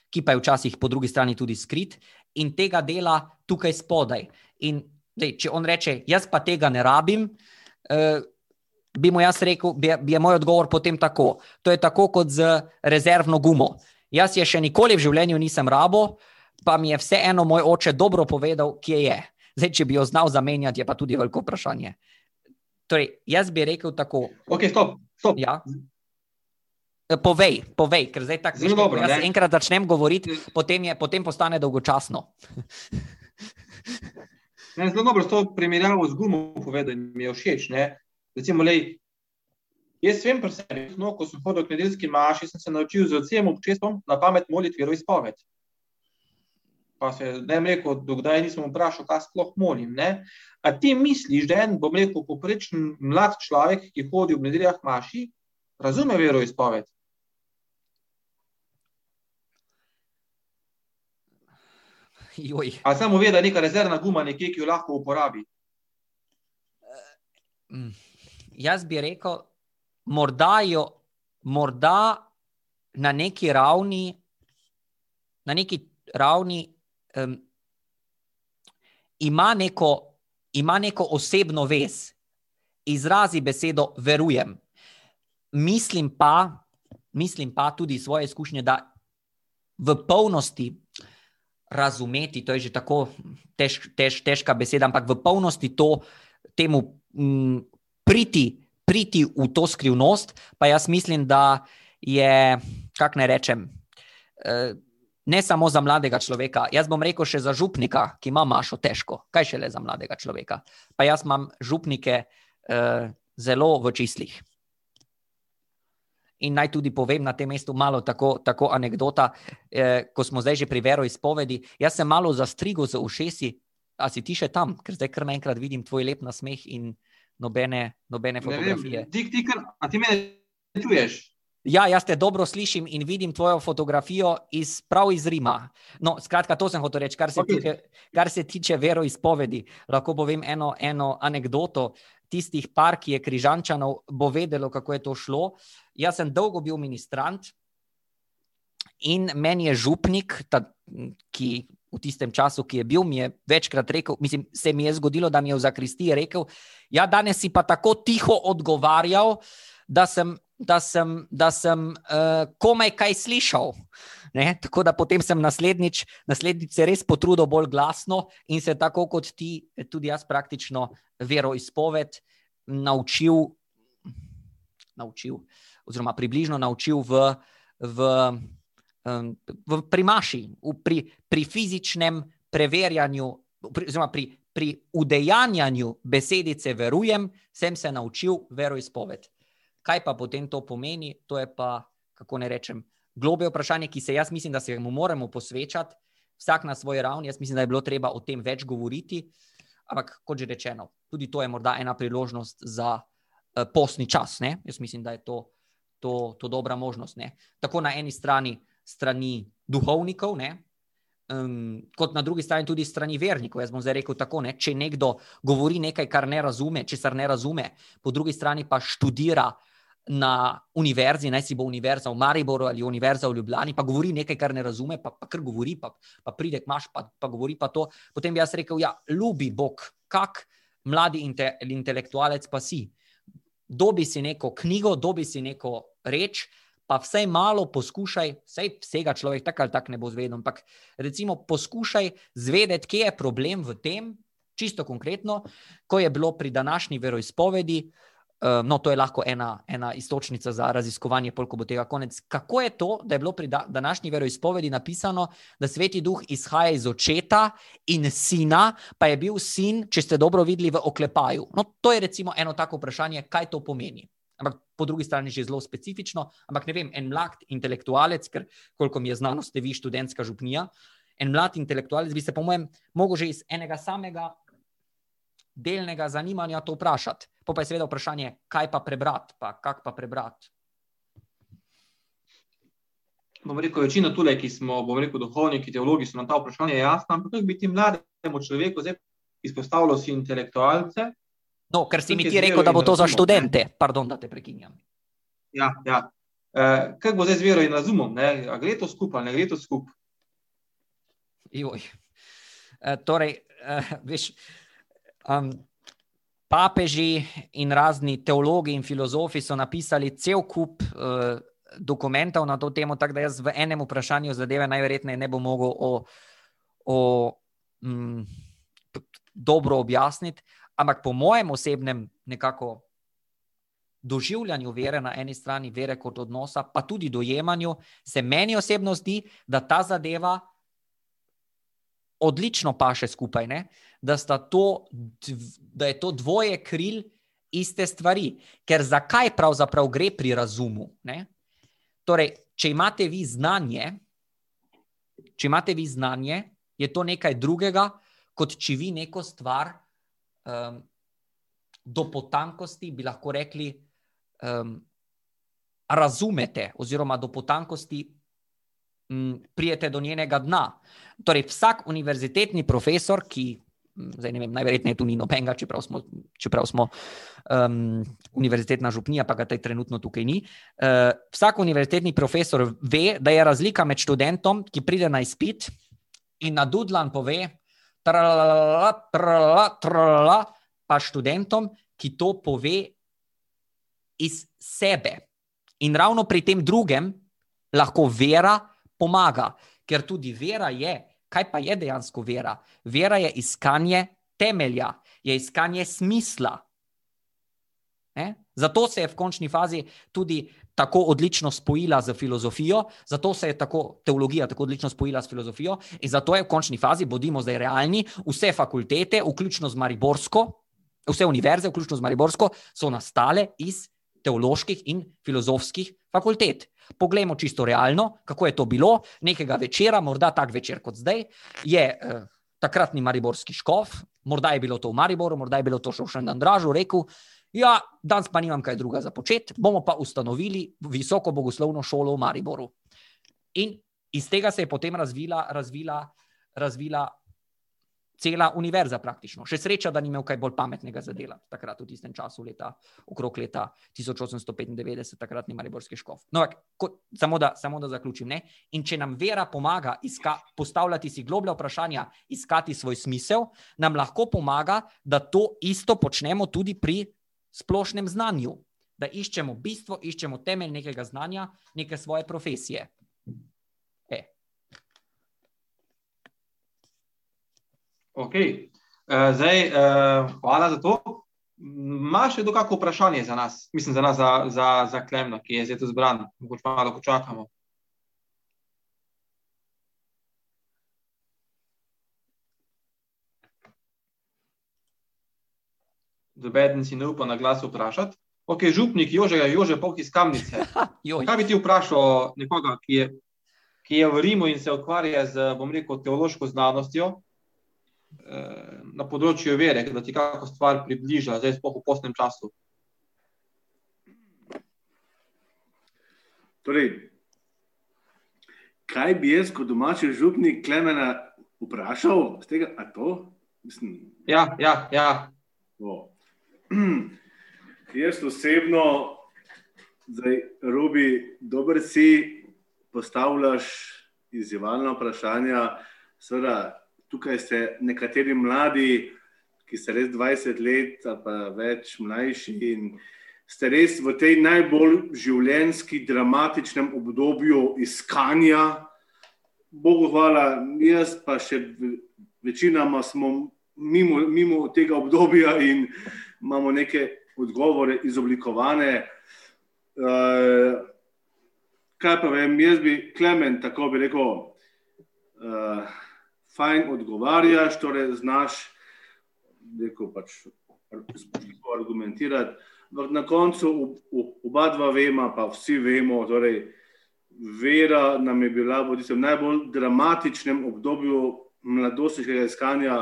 ki pa je včasih po drugi strani tudi skrit, in tega dela tukaj spodaj. In dej, če on reče, jaz pa tega ne rabim, eh, bi mu jaz rekel, bi, bi je moj odgovor potem tako. To je tako kot z rezervno gumo. Jaz je še nikoli v življenju nisem rabo, pa mi je vseeno moj oče dobro povedal, kje je. Zdaj, če bi jo znal zamenjati, je pa tudi veliko vprašanje. Torej, jaz bi rekel tako. Ok, stop, stop. Ja. Povej, povej, ker zdaj tako, Zelo dobro, jaz ne. enkrat začnem govoriti, potem, je, potem postane dolgočasno. Ne, zelo dobro, s to primerjavo z gumo povedal, mi je všeč, ne. Recimo, lej, jaz vem pri sebi, no, ko sem hodil k nedeljski maši, sem se naučil z odcem občestvom na pamet moliti veroizpoved. Pa se, ne bom rekel, dokdaj nisem vprašal, kaj sploh molim, ne. A ti misliš, da en, bom rekel, poprečen mlad človek, ki hodi v nedeljah maši, razume veroizpoved? Joj. A samo ve, da je neka rezervna guma nekje, ki jo lahko uporabi? Uh, jaz bi rekel, morda jo, morda na neki ravni, na neki ravni um, ima neko, ima neko osebno vez, izrazi besedo verujem. Mislim pa, mislim pa tudi svoje izkušnje, da v polnosti razumeti, to je že tako tež, tež, težka beseda, ampak v polnosti to, temu m, priti, priti v to skrivnost, pa jaz mislim, da je, kak ne rečem, ne samo za mladega človeka, jaz bom rekel še za župnika, ki ima mašo težko, kaj šele za mladega človeka. Pa jaz imam župnike eh, zelo v čislih. In naj tudi povem na tem mestu malo tako, tako anekdota, eh, ko smo zdaj že pri veroizpovedi. Jaz sem malo zastrigel z ušesi, a si ti še tam, ker zdaj kar naenkrat vidim tvoj lep nasmeh in nobene, nobene fotografije. Ne vem, ti, ti kar, a ti mene čuješ? Ja, jaz te dobro slišim in vidim tvojo fotografijo iz, prav iz Rima. No, skratka, to sem hotel reči, kar se, Okay. tiče, kar se tiče veroizpovedi. Lahko povem eno, eno anekdoto. Tistih par, ki je Križančanov, bo vedelo, kako je to šlo. Jaz sem dolgo bil ministrant in meni je župnik, ta, ki v tistem času, ki je bil, mi je večkrat rekel, mislim, se mi je zgodilo, da mi je v zakristiji rekel, ja, danes si pa tako tiho odgovarjal, da sem, da sem, da sem uh, komaj kaj slišal. Ne? Tako da potem sem naslednjič, naslednjič se res potrudil bolj glasno in se tako kot ti, tudi jaz praktično veroizpoved naučil, naučil oziroma približno naučil v, v, v primaši, v, pri, pri fizičnem preverjanju, pri, oziroma pri, pri udejanjanju besedice verujem, sem se naučil veroizpoved. Kaj pa potem to pomeni, to je pa, kako ne rečem, globje vprašanje, ki se jaz mislim, da se mu moramo posvečati, vsak na svoji ravni. Jaz mislim, da je bilo treba o tem več govoriti, ampak kot že rečeno, tudi to je morda ena priložnost za uh, postni čas. Ne? Jaz mislim, da je to, to, to dobra možnost. Ne? Tako na eni strani strani duhovnikov, ne? Um, kot na drugi strani tudi strani vernikov. Jaz bom zdaj rekel tako, ne? Če nekdo govori nekaj, kar ne razume, česar ne razume, po drugi strani pa študira na univerzi, naj si bo univerza v Mariboru ali univerza v Ljubljani, pa govori nekaj, kar ne razume, pa, pa kar govori, pa, pa pride k maš, pa, pa govori pa to, potem bi jaz rekel, ja, ljubi Bog, kak mladi inte, intelektualec pa si. Dobi si neko knjigo, dobi si neko reč, pa vsaj malo poskušaj, vsaj vsega človek tak ali tak ne bo zvedel, ampak recimo poskušaj zvedeti, kje je problem v tem, čisto konkretno, ko je bilo pri današnji veroizpovedi, no, to je lahko ena, ena istočnica za raziskovanje, koliko bo tega konec. Kako je to, da je bilo pri današnji veroizpovedi napisano, da Sveti Duh izhaja iz očeta in sina, pa je bil sin, če ste dobro videli, v oklepaju? No, to je recimo eno tako vprašanje, kaj to pomeni. Ampak po drugi strani že zelo specifično, ampak ne vem, en mlad intelektualec, ker koliko mi je znano, ste vi študentska župnija, en mlad intelektualec bi se po mojem mogel že iz enega samega delnega zanimanja to vprašati. Pa pa je seveda vprašanje, kaj pa prebrati, pa kak pa prebrati. Bom rekel, večina tule, ki smo, bom rekel, duhovniki, teologi, so nam ta vprašanje jasna, ampak kako bi ti mlademu človeku zdaj izpostavljal si intelektualce? No, ker si mi ti rekel, da bo to za študente. Pardon, da te prekinjam. Ja, ja. Uh, kako bo zdaj z vero in razumom? Ne? A gre to skupaj, ne gre to skupaj? Joj. Uh, torej, uh, veš, um, papeži in razni teologi in filozofi so napisali cel kup uh, dokumentov na to temo, tako da jaz v enem vprašanju zadeve najverjetneje ne bom mogel o, o mm, dobro objasniti, ampak po mojem osebnem nekako doživljanju vere na eni strani, vere kot odnosa, pa tudi dojemanju, se meni osebno zdi, da ta zadeva odlično paše skupaj, ne? Da, sta to, da je to dvoje kril iste stvari. Ker zakaj pravzaprav gre pri razumu? Ne? Torej, če imate vi znanje, če imate vi znanje, je to nekaj drugega, kot če vi neko stvar um, do potankosti, bi lahko rekli, um, razumete, oziroma do potankosti um, prijete do njenega dna. Torej, vsak univerzitetni profesor, ki, zdaj ne vem, najverjetneje tu ni nobenega, čeprav smo, čeprav smo um, univerzitetna župnija, pa ga taj trenutno tukaj ni, uh, vsak univerzitetni profesor ve, da je razlika med študentom, ki pride na izpit in na dudlan pove tralala, tralala, tralala, pa študentom, ki to pove iz sebe. In ravno pri tem drugem lahko vera pomaga, ker tudi vera je, kaj pa je dejansko vera? Vera je iskanje temelja, je iskanje smisla. Ne? Zato se je v končni fazi tudi tako odlično spojila z filozofijo, zato se je tako teologija tako odlično spojila s filozofijo in zato je v končni fazi, bodimo zdaj realni, vse fakultete, vključno z mariborsko, vse univerze, vključno z mariborsko, so nastale iz teoloških in filozofskih fakultet. Poglejmo čisto realno, kako je to bilo. Nekega večera, morda tak večer kot zdaj, je eh, takratni mariborski škof, morda je bilo to v Mariboru, morda je bilo to še v Šendandražu, rekel, ja, danes pa nimam kaj druga za početi, bomo pa ustanovili visoko bogoslovno šolo v Mariboru. In iz tega se je potem razvila, razvila, razvila cela univerza praktično. Še sreča, da ni imel kaj bolj pametnega za delati takrat v tistem času, leta, okrog leta tisoč osemsto petindevetdeset, takratni mariborski škof. No, ko, samo, da, samo da zaključim. Ne? In če nam vera pomaga iska, postavljati si globlja vprašanja, iskati svoj smisel, nam lahko pomaga, da to isto počnemo tudi pri splošnem znanju. Da iščemo bistvo, iščemo temelj nekega znanja, neke svoje profesije. E. Ok, uh, zdaj uh, hvala za to. Imaš še kakšno vprašanje za nas? Mislim za nas, za, za, za Klemna, ki je zdaj tu zbran. Mogoče malo počakamo. Dobeden si ne upa na glas vprašati. Ok, župnik Jože, Jože Poh iz Kamnice. Kaj bi ti vprašal nekoga, ki je, ki je v Rimu in se ukvarja z, bom rekel, teološko znanostjo na področju vere, da ti kako stvar približa, zdaj sploh v postnem času. Torej, kaj bi jaz kot domači župnik Klemena vprašal z tega, a to? Mislim, ja, ja, ja. O. Jaz osebno, zdaj, Robi, dober si, postavljaš izzivalna vprašanja, seveda, tukaj ste nekateri mladi, ki ste res dvajset let ali pa več mlajši in ste res v tej najbolj življenjski, dramatičnem obdobju iskanja. Bogu hvala, jaz pa še večinama smo mimo, mimo tega obdobja in imamo neke odgovore izoblikovane. Uh, kaj pa vem, jaz bi, Klemen, tako bi rekel, uh, fajn odgovarjaš, torej znaš, rekel pač, argumentirati. Na koncu oba dva vema, pa vsi vemo, torej vera nam je bila v tistem najbolj dramatičnem obdobju mladostniškega iskanja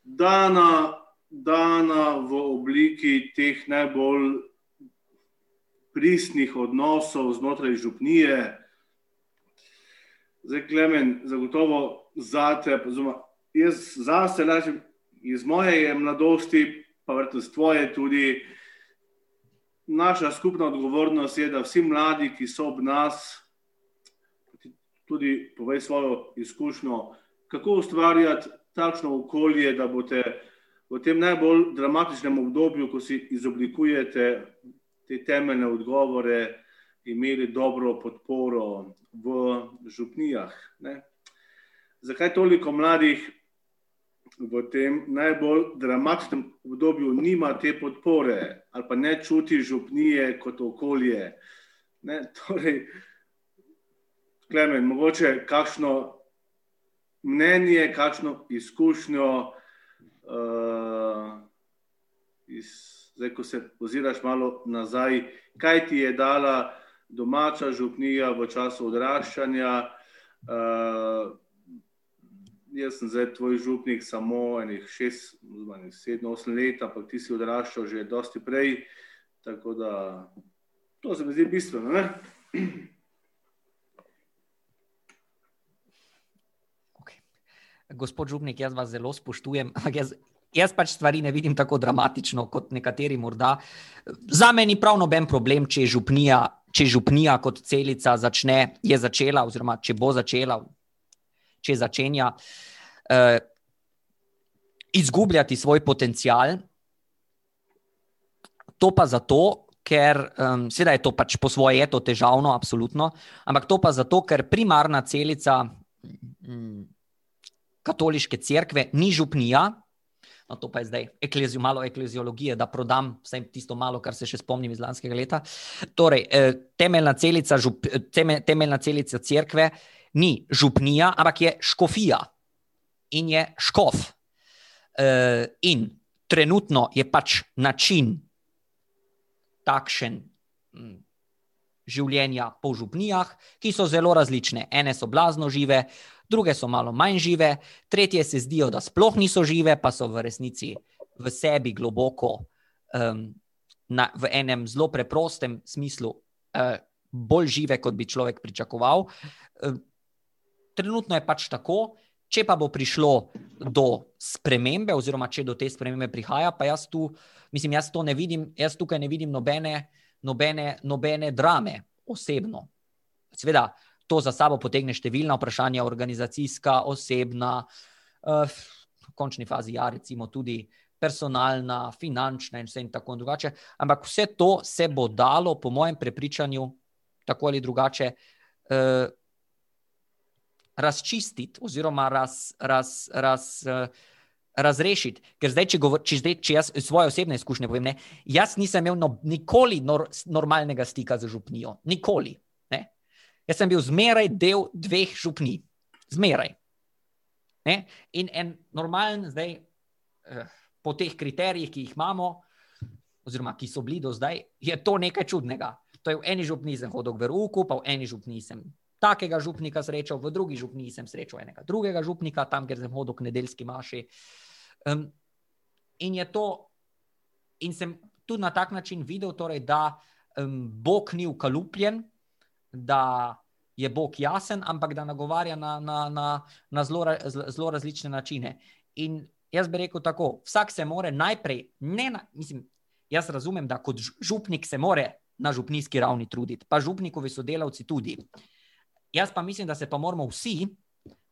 dana, dana v obliki teh najbolj pristnih odnosov znotraj župnije. Zdaj, Klemen, zagotovo zate, jaz zase, iz moje mladosti, pa verjetno s tvoje tudi, naša skupna odgovornost je, da vsi mladi, ki so ob nas, tudi povej svojo izkušnjo, kako ustvarjati takšno okolje, da boste v tem najbolj dramatičnem obdobju, ko si izoblikujete te temeljne odgovore, imeli dobro podporo v župnijah. Ne? Zakaj toliko mladih v tem najbolj dramatičnem obdobju nima te podpore ali pa ne čuti župnije kot okolje? Ne? Torej, Klemen, mogoče kakšno mnenje, kakšno izkušnjo, uh, iz, zdaj, ko se oziraš malo nazaj, kaj ti je dala domača župnija v času odraščanja? Uh, jaz sem zdaj tvoj župnik samo enih šest, sedem, osem let, ampak ti si odraščal že dosti prej, tako da to se mi zdi bistveno, ne? Okay. Gospod župnik, jaz vas zelo spoštujem, ampak jaz, jaz pač stvari ne vidim tako dramatično, kot nekateri morda. Za me ni prav noben problem, če župnija, če župnija kot celica začne, je začela, oziroma če bo začela, če začenja uh, izgubljati svoj potencial. To pa zato, ker, um, seveda je to pač po svoje, je to težavno, absolutno, ampak to pa zato, ker primarna celica um, katoliške cerkve ni župnija, no to pa je zdaj eklezio, malo ekleziologije, da prodam vsem tisto malo, kar se še spomnim iz lanskega leta. Torej, temeljna celica, žup, temeljna celica cerkve ni župnija, ampak je škofija in je škof. Uh, in trenutno je pač način takšen um, življenja po župnijah, ki so zelo različne. Ene so blazno žive, druge so malo manj žive, tretje se zdijo, da sploh niso žive, pa so v resnici v sebi globoko, um, na, v enem zelo preprostem smislu, uh, bolj žive, kot bi človek pričakoval. Uh, Trenutno je pač tako, če pa bo prišlo do spremembe, oziroma če do te spremembe prihaja, pa jaz tu, mislim, jaz to ne vidim, jaz tukaj ne vidim nobene, nobene, nobene drame osebno. Seveda, to za sabo potegne številna vprašanja, organizacijska, osebna, uh, v končni fazi, ja, recimo tudi personalna, finančna in vse in tako in drugače, ampak vse to se bo dalo, po mojem prepričanju, tako ali drugače, uh, razčistiti oziroma raz, raz, raz, razrešiti. Ker zdaj, če, govor, če, zdaj, če jaz svoje osebne izkušnje povem, ne, jaz nisem imel no, nikoli nor, normalnega stika z župnijo. Nikoli. Ne. Jaz sem bil zmeraj del dveh župnij. Zmeraj. Ne. In en normalen, zdaj, po teh kriterijih, ki jih imamo, oziroma ki so bili do zdaj, je to nekaj čudnega. To je v eni župniji sem hodil k verouku, pa v eni župniji sem takega župnika srečal, v drugi župniji sem srečal enega drugega župnika, tam, kjer sem hodil k nedeljski maši. Um, in je to, in sem tudi na tak način videl, torej, da um, Bog ni ukalupljen, da je Bog jasen, ampak da nagovarja na, na, na, na zelo, zelo različne načine. In jaz bi rekel tako, vsak se more najprej, ne na, mislim, jaz razumem, da kot župnik se more na župnijski ravni truditi, pa župnikovi sodelavci tudi. Jaz pa mislim, da se pa moramo vsi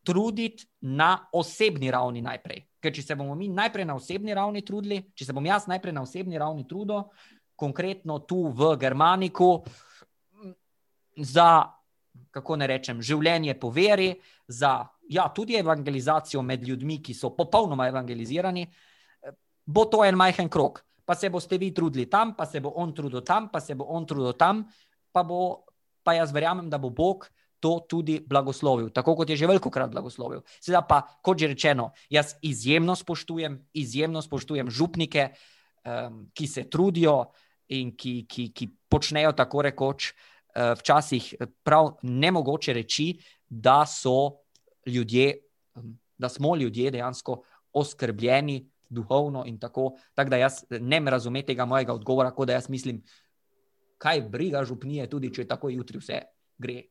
truditi na osebni ravni najprej. Ker če se bomo mi najprej na osebni ravni trudili, če se bom jaz najprej na osebni ravni trudil, konkretno tu v Germaniku, za, kako ne rečem, življenje po veri, za, ja, tudi evangelizacijo med ljudmi, ki so popolnoma evangelizirani, bo to en majhen krog. Pa se boste vi trudili tam, pa se bo on trudil tam, pa se bo on trudil tam, pa, bo, pa jaz verjamem, da bo Bog to tudi blagoslovil, tako kot je že velikokrat blagoslovil. Seveda pa, kot že rečeno, jaz izjemno spoštujem, izjemno spoštujem župnike, um, ki se trudijo in ki, ki, ki počnejo tako rekoč uh, včasih prav nemogoče reči, da so ljudje, um, da smo ljudje dejansko oskrbljeni duhovno in tako, tako da jaz ne me razume tega mojega odgovora, kot da jaz mislim, kaj briga župnije, tudi če tako jutri vse gre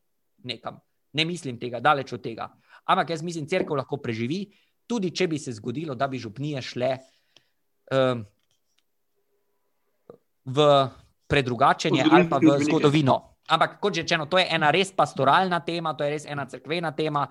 nekam. Ne mislim tega, daleč od tega. Ampak jaz mislim, cerkev lahko preživi, tudi če bi se zgodilo, da bi župnije šle um, v predrugačenje ali pa v zgodovino. Ampak kot že rečeno, to je ena res pastoralna tema, to je res ena cerkvena tema.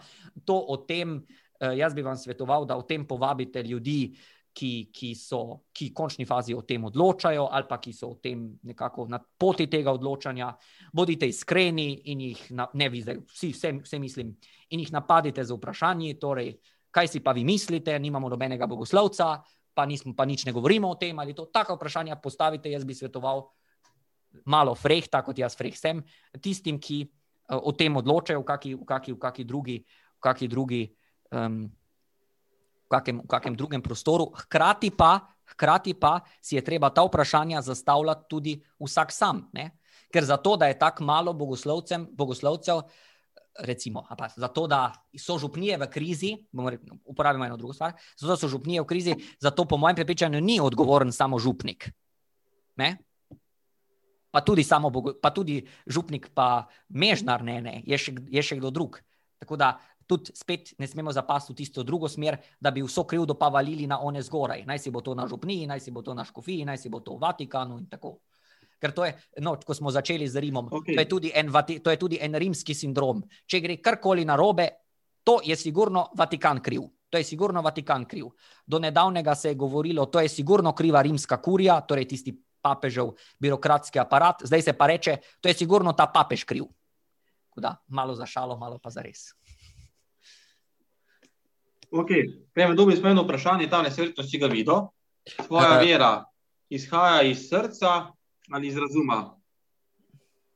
To o tem, uh, jaz bi vam svetoval, da o tem povabite ljudi, Ki, ki so, ki v končni fazi o tem odločajo ali pa ki so o tem nekako na poti tega odločanja. Bodite iskreni in jih, na, ne vi zdaj, vsi, vse, vse mislim, in jih napadite z vprašanji, torej, kaj si pa vi mislite, nimamo nobenega bogoslovca, pa, nismo, pa nič ne govorimo o tem, ali to taka vprašanja postavite, jaz bi svetoval malo frehta, kot jaz freh sem, tistim, ki uh, o tem odločajo v kaki, v kaki, v kaki drugi, v kaki drugi um, v kakem, v kakem drugem prostoru. Hkrati pa, hkrati pa si je treba ta vprašanja zastavljati tudi vsak sam. Ne? Ker zato, da je tako malo bogoslovcem, bogoslovcev, recimo, pa zato, da so župnije v krizi, bomo rekli, uporabimo eno drugo stvar, zato, da so župnije v krizi, zato po mojem prepričanju ni odgovoren samo župnik. Ne? Pa tudi, samo bogo, pa tudi župnik, pa mežnar, ne, ne, je še, je še kdo drug. Tako da tudi spet ne smemo zapasti v tisto drugo smer, da bi vso krivdo pa valili na one zgoraj. Naj si bo to na župniji, naj si bo to na škofiji, naj si bo to v Vatikanu in tako. Ker to je, no, ko smo začeli z Rimom, okay. to, je tudi en, to je tudi en rimski sindrom. Če gre karkoli narobe, to je sigurno Vatikan kriv. To je sigurno Vatikan kriv. Do nedavnega se je govorilo, to je sigurno kriva rimska kurija, torej tisti papežev birokratski aparat. Zdaj se pa reče, to je sigurno ta papež kriv. Da, malo za šalo, malo pa za res. Ok, prej me dobi smo eno vprašanje, tam nesverjetno si ga videl. Tvoja vera izhaja iz srca ali iz razuma?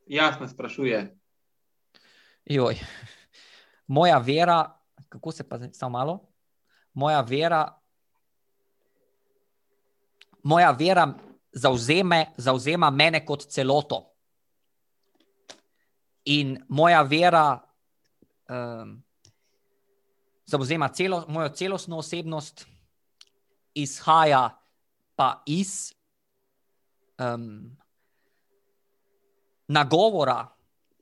Jasno sprašuje. Joj, moja vera, kako se pa samo malo? Moja vera, moja vera zavzeme, zavzema mene kot celoto. In moja vera um, zavzema celo, mojo celostno osebnost, izhaja pa iz um, nagovora,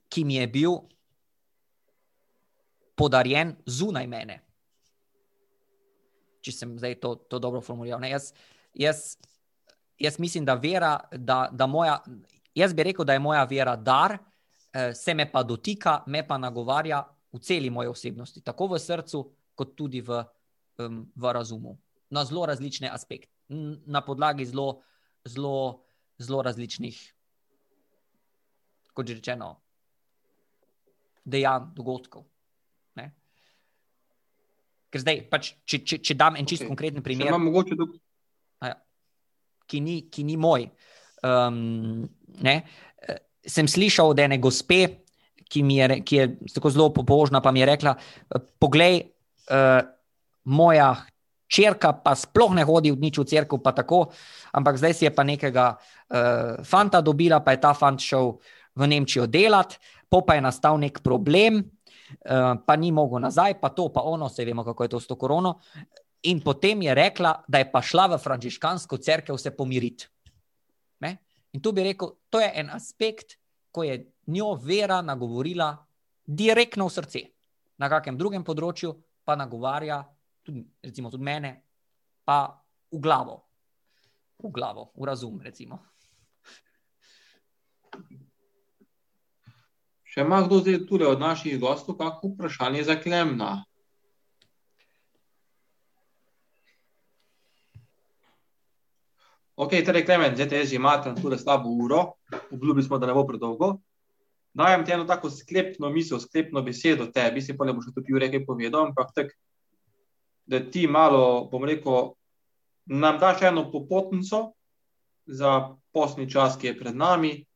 ki mi je bil podarjen zunaj mene. Če sem zdaj to, to dobro formuliral. Ne? Jaz, jaz, jaz mislim, da vera, da, da moja, jaz bi rekel, da je moja vera dar, eh, se me pa dotika, me pa nagovarja v celi moje osebnosti, tako v srcu, kot tudi v, um, v razumu. Na zelo različne aspekte. Na podlagi zelo, zelo, zelo različnih, kot že rečeno, dejanj, dogodkov. Ne? Ker zdaj, pač, če, če, če dam en čist okay. konkreten primer, do... ja, ki, ni, ki ni moj, um, ne, sem slišal od ene gospe, ki, mi je, ki je tako zelo pobožna, pa mi je rekla, poglej, uh, moja čerka pa sploh ne hodi v nič v cerkev, pa tako, ampak zdaj si je pa nekega uh, fanta dobila, pa je ta fant šel v Nemčijo delati, po pa je nastal nek problem pa ni mogel nazaj, pa to, pa ono, se vemo, kako je to s to korono. In potem je rekla, da je pa šla v frančiškansko cerkev se pomiriti. Ne? In tu bi rekel, to je en aspekt, ko je njo vera nagovorila direktno v srce. Na kakem drugem področju pa nagovarja, tudi, recimo tudi mene, pa v glavo. V glavo, v razum, recimo. Še ima kdo zdaj tudi od naših gostov kako vprašanje za Klemna? Ok, torej Klemen, zdaj te že imate tudi slabo uro, obljubili smo, da ne bo predolgo. Dajem ti eno tako sklepno misel, sklepno besedo tebi, si pa ne boš tudi Jure kaj povedal, ampak tak, da ti malo, bom rekel, nam daš eno popotnico za postni čas, ki je pred nami.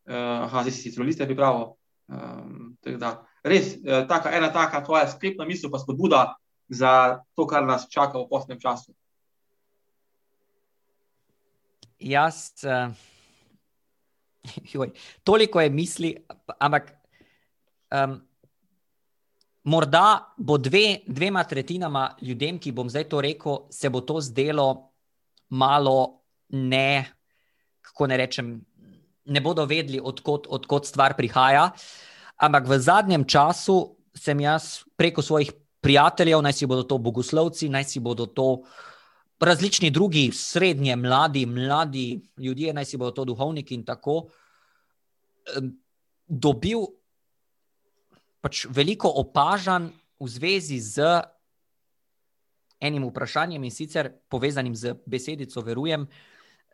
Uh, aha, zdaj si si liste pripravil. Um, tako da, res, uh, taka, ena taka tvoja sklepna misel pa spodbuda za to, kar nas čaka v postnem času. Jaz, uh, joj, toliko je misli, ampak um, morda bo dve, dvema tretjinama ljudem, ki bom zdaj to rekel, se bo to zdelo malo ne, kako ne rečem, ne bodo vedeli, odkot, odkot stvar prihaja, ampak v zadnjem času sem jaz preko svojih prijateljev, naj si bodo to bogoslovci, naj si bodo to različni drugi, srednje, mladi, mladi ljudje, naj si bodo to duhovniki in tako, dobil pač veliko opažanj v zvezi z enim vprašanjem in sicer povezanim z besedico verujem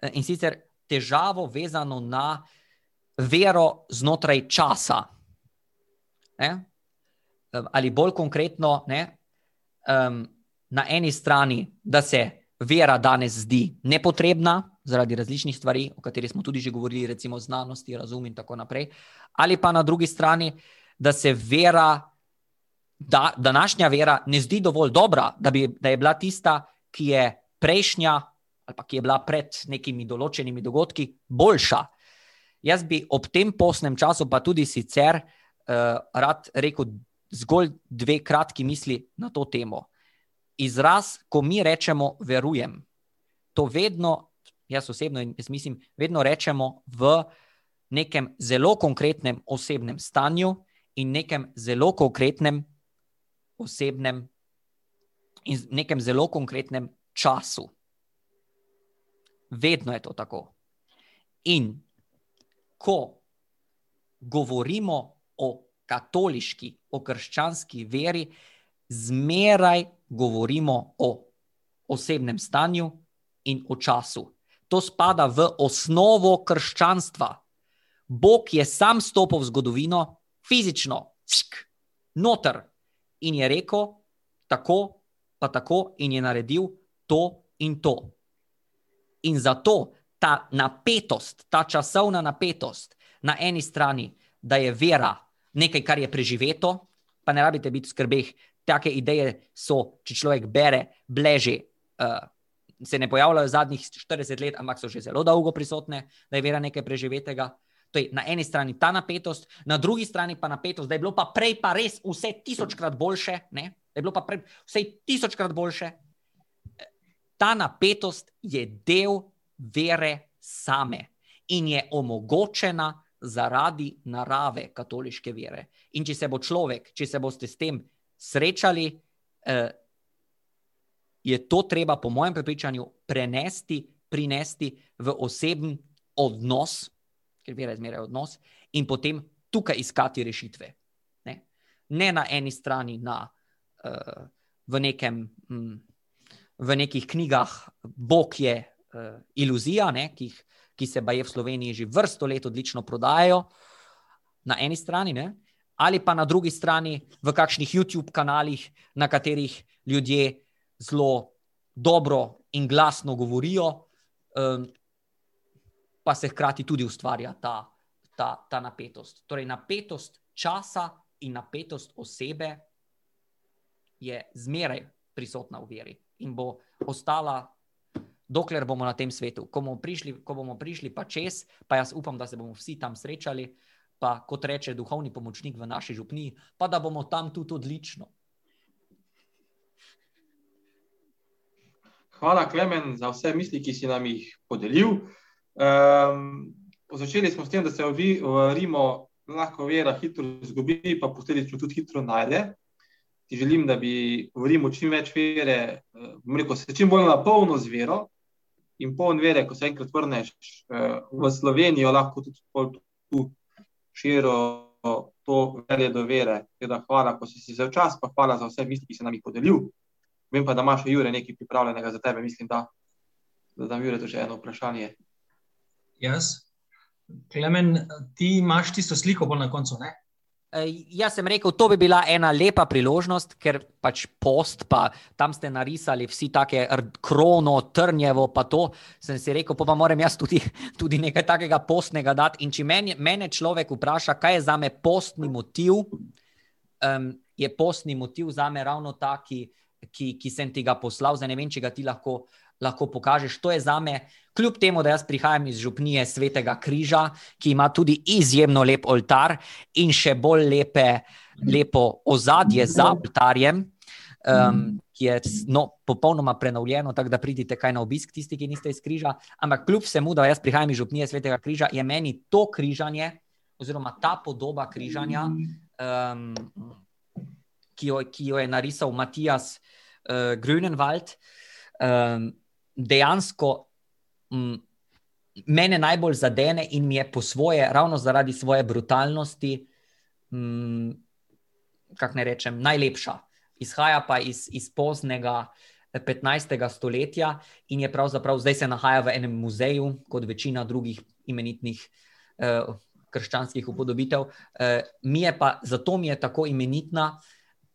in sicer težavo vezano na vero znotraj časa. Ne? Ali bolj konkretno, ne? Um, na eni strani, da se vera danes zdi nepotrebna, zaradi različnih stvari, o katerih smo tudi že govorili, recimo znanosti, razum in tako naprej, ali pa na drugi strani, da se vera, da, današnja vera ne zdi dovolj dobra, da, bi, da je bila tista, ki je prejšnja, ali pa ki je bila pred nekimi določenimi dogodki, boljša. Jaz bi ob tem postnem času pa tudi sicer uh, rad rekel zgolj dve kratki misli na to temo. Izraz, ko mi rečemo verujem, to vedno, jaz osebno in jaz mislim, vedno rečemo v nekem zelo konkretnem osebnem stanju in nekem zelo konkretnem osebnem in nekem zelo konkretnem času. Vedno je to tako. In ko govorimo o katoliški, o krščanski veri, zmeraj govorimo o osebnem stanju in o času. To spada v osnovo krščanstva. Bog je sam stopil v zgodovino fizično, ck, noter in je rekel tako, pa tako in je naredil to in to. In zato ta napetost, ta časovna napetost na eni strani, da je vera nekaj, kar je preživeto, pa ne rabite biti v skrbeh, take ideje so, če človek bere, bleže, uh, se ne pojavljajo zadnjih štirideset let, ampak so že zelo dolgo prisotne, da je vera nekaj preživetega. To je na eni strani ta napetost, na drugi strani pa napetost, da je bilo pa prej pa res vse tisočkrat boljše, ne? Da je bilo pa prej vse tisočkrat boljše. Ta napetost je del vere same in je omogočena zaradi narave katoliške vere. In če se bo človek, če se boste s tem srečali, eh, je to treba po mojem prepričanju prenesti, prinesti v osebni odnos, ker vera je zmeraj odnos, in potem tukaj iskati rešitve. Ne, ne na eni strani na, uh, v, nekem, mm, v nekih knjigah Bog je uh, iluzija, ne, ki, ki se baje v Sloveniji že vrsto let odlično prodajajo, na eni strani, ne, ali pa na drugi strani v kakšnih YouTube kanalih, na katerih ljudje zelo dobro in glasno govorijo, um, pa se hkrati tudi ustvarja ta, ta, ta napetost. Torej napetost časa in napetost osebe je zmeraj prisotna v veri in bo ostala, dokler bomo na tem svetu. Ko bomo prišli, ko bomo prišli pa čez, pa jaz upam, da se bomo vsi tam srečali, pa kot reče duhovni pomočnik v naši župniji, pa da bomo tam tudi odlično. Hvala, Klemen, za vse misli, ki si nam jih podelil. Um, začeli smo s tem, da se v, v Rimu lahko vera hitro izgubi, pa posledično tudi hitro najde. Ti želim, da bi v Rimu čim več vere, bom rekel, se čim bolj napolno z vero in poln vere, ko se enkrat vrneš uh, v Slovenijo, lahko tudi tu širo to velje do vere. Teda hvala, ko si si vzel čas, pa hvala za vse misli, ki si nam jih podelil. Vem pa, da imaš Jure nekaj pripravljenega za tebe. Mislim, da, da dam Jure to še eno vprašanje. Jaz? Klemen, ti imaš tisto sliko bolj na koncu, ne? E, jaz sem rekel, to bi bila ena lepa priložnost, ker pač post, pa tam ste narisali vsi take krono, trnjevo, pa to, sem si rekel, pa, pa moram jaz tudi, tudi nekaj takega postnega dati. In če meni, mene človek vpraša, kaj je zame postni motiv, um, je postni motiv zame ravno taki, Ki, ki sem ti ga poslal, zdaj ne vem, če ga ti lahko, lahko pokažeš. To je zame, kljub temu, da jaz prihajam iz župnije Svetega križa, ki ima tudi izjemno lep oltar in še bolj lepe, lepo ozadje za oltarjem, um, ki je no, popolnoma prenovljeno, tako da pridite kaj na obisk tisti, ki niste iz križa. Ampak kljub vsemu, da jaz prihajam iz župnije Svetega križa, je meni to križanje, oziroma ta podoba križanja, um, Ki jo, ki jo je narisal Matijas uh, Grünenwald, um, dejansko um, mene najbolj zadene in mi je po svoje, ravno zaradi svoje brutalnosti, um, kako ne rečem, najlepša. Izhaja pa iz, iz poznega petnajstega stoletja in je pravzaprav zdaj se nahaja v enem muzeju, kot večina drugih imenitnih uh, krščanskih upodobitev. Uh, mi je pa, zato mi je tako imenitna,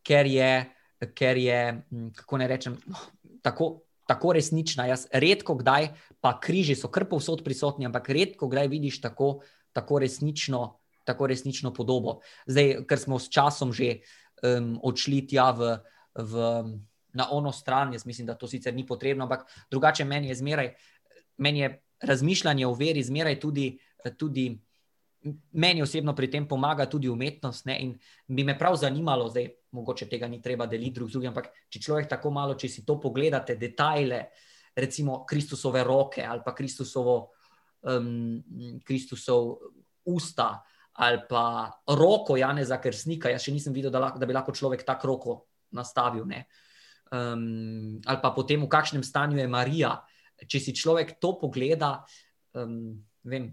ker je, ker je, kako ne rečem, tako, tako resnična. Jaz redko kdaj, pa križi so kar povsod prisotni, ampak redko kdaj vidiš tako, tako, resnično, tako resnično podobo. Zdaj, ker smo s časom že um, odšli tja v, v, na ono stran, jaz mislim, da to sicer ni potrebno, ampak drugače meni je zmeraj, meni je razmišljanje o veri zmeraj tudi, tudi meni osebno pri tem pomaga tudi umetnost, ne, in bi me prav zanimalo, zdaj mogoče tega ni treba deliti drug z drugim, ampak če človek tako malo, če si to pogledate, detajle, recimo Kristusove roke ali pa Kristusovo, um, Kristusov usta ali pa roko Janeza Krstnika, jaz še nisem videl, da, lahko, da bi lahko človek tak roko nastavil, ne. Um, ali pa potem v kakšnem stanju je Marija. Če si človek to pogleda, um, vem,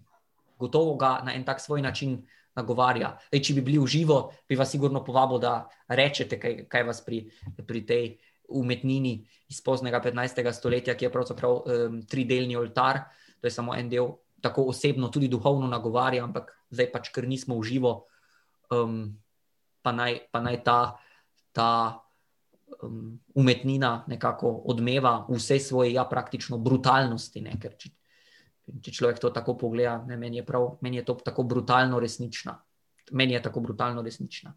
gotovo ga na en tak svoj način nagovarja. Ej, če bi bili v živo, bi vas sigurno povabil, da rečete, kaj, kaj vas pri, pri tej umetnini iz poznega petnajstega stoletja, ki je pravzaprav um, tridelni oltar, to je samo en del, tako osebno, tudi duhovno nagovarja, ampak zdaj pač, ker nismo v živo, um, pa, naj, pa naj ta, ta um, umetnina nekako odmeva vse svoje, ja, praktično brutalnosti, ne, ker če Če človek to tako pogleda, ne, meni je prav, meni je to tako brutalno resnična. Meni je tako brutalno resnična.